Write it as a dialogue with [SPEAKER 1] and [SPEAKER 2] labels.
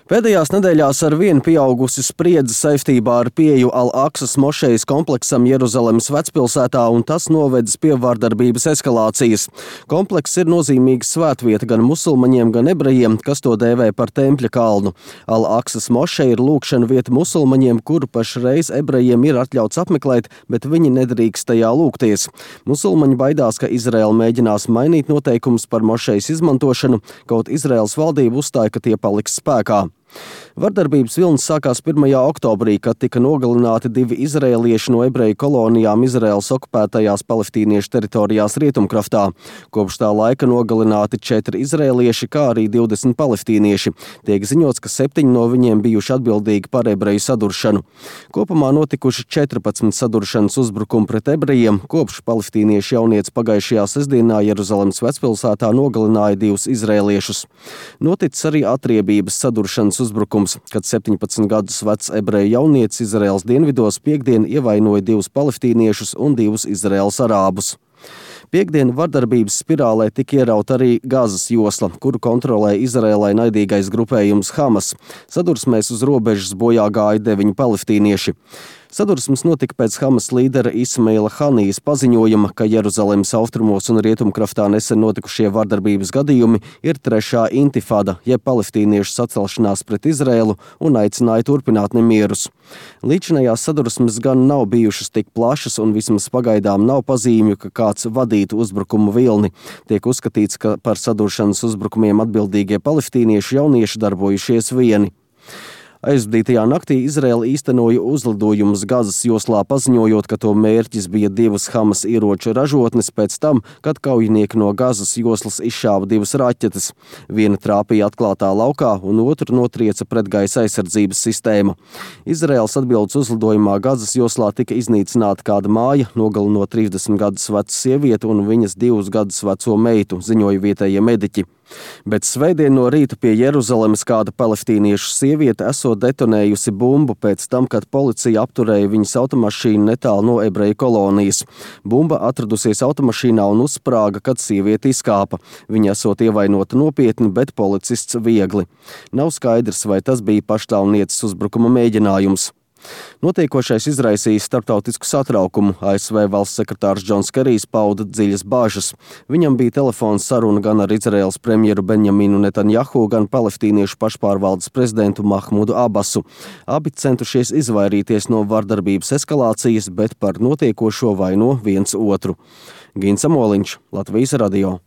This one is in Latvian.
[SPEAKER 1] Pēdējās nedēļās ar vien pieaugusi spriedze saistībā ar pieeju Al-Aksas mošejas kompleksam Jeruzalemes vecpilsētā, un tas novedis pie vardarbības eskalācijas. Komplekss ir nozīmīga svētvieta gan musulmaņiem, gan ebrejiem, kas to dēvē par tempļa kalnu. Al-Aksas mošeja ir lūgšana vieta musulmaņiem, kuru pašreiz ebrejiem ir atļauts apmeklēt, bet viņi nedrīkst tajā lūgties. Musulmaņi baidās, ka Izraela mēģinās mainīt noteikumus par mošejas izmantošanu, kaut Izraēlas valdība uzstāja, ka tie paliks spēkā. Vardarbības vilnis sākās 1. oktobrī, kad tika nogalināti 2 izraēlieši no ebreju kolonijām Izraēlas okupētajās palestīniešu teritorijās Rietumkraftā. Kopš tā laika nogalināti 4 izraēlieši, kā arī 20 palestīnieši. Tiek ziņots, ka 7 no viņiem bijuši atbildīgi par ebreju saduršanu. Kopumā notikuši 14 saduršanas uzbrukumi pret ebrejiem, kopš palestīniešu jaunieci pagājušajā sestdienā Jeruzalemes vecpilsētā nogalināja 2 izraēliešus. Noticis arī atriebības saduršanas uzbrukums, kad 17 gadus vecs ebreju jaunietis Izraēlas dienvidos piektdien ievainoja 2 palestīniešus un 2 Izraēlas arābus. Piektdien vardarbības spirālē tika ierauta arī Gazas josla, kuru kontrolē Izraēlai naidīgais grupējums Hamas. Sadursmēs uz robežas bojā gāja 9 palestīnieši. Sadursmes notika pēc Hamas līdera Ismaila Hanijas paziņojuma, ka Jeruzalemes austrumos un Rietumkraftā nesen notikušie vardarbības gadījumi ir 3. intifada, jeb palestīniešu sacelšanās pret Izraēlu, un aicināja turpināt nemierus. Līdzinājās sadursmes gan nav bijušas tik plašas, un vismaz pagaidām nav pazīmju, ka kāds vadītu uzbrukumu vilni. Tiek uzskatīts, ka par saduršanas uzbrukumiem atbildīgie palestīniešu jaunieši darbojušies vieni. Aizvadītajā naktī Izraēla īstenoja uzlidojumus Gazas joslā, paziņojot, ka to mērķis bija 2 Hamas ieroču ražotnes pēc tam, kad kaujinieki no Gazas joslas izšāva 2 raķetes. Viena trāpīja atklātā laukā, un otru notrieca pretgaisa aizsardzības sistēma. Izraēlas atbildes uzlidojumā Gazas joslā tika iznīcināta kāda māja, nogalinot 30 gadus vecu sievieti un viņas 2 gadus veco meitu, ziņoja vietējie mediķi. Bet svētdien no rīta pie Jeruzalemes kāda palestīniešu sieviete esot detonējusi bumbu pēc tam, kad policija apturēja viņas automašīnu netālu no ebreju kolonijas. Bumba atradusies automašīnā un uzsprāga, kad sieviete izkāpa. Viņa esot ievainota nopietni, bet policists viegli. Nav skaidrs, vai tas bija paštāvnieces uzbrukuma mēģinājums. Notiekošais izraisīja starptautisku satraukumu. ASV valsts sekretārs Džons Kerijs pauda dziļas bāžas. Viņam bija telefons saruna gan ar Izraēlas premjeru Benjaminu Netanjahu, gan palestīniešu pašpārvaldes prezidentu Mahmudu Abasu. Abi centušies izvairīties no vardarbības eskalācijas, bet par notiekošo vaino viens otru. Gins Amoliņš, Latvijas radio.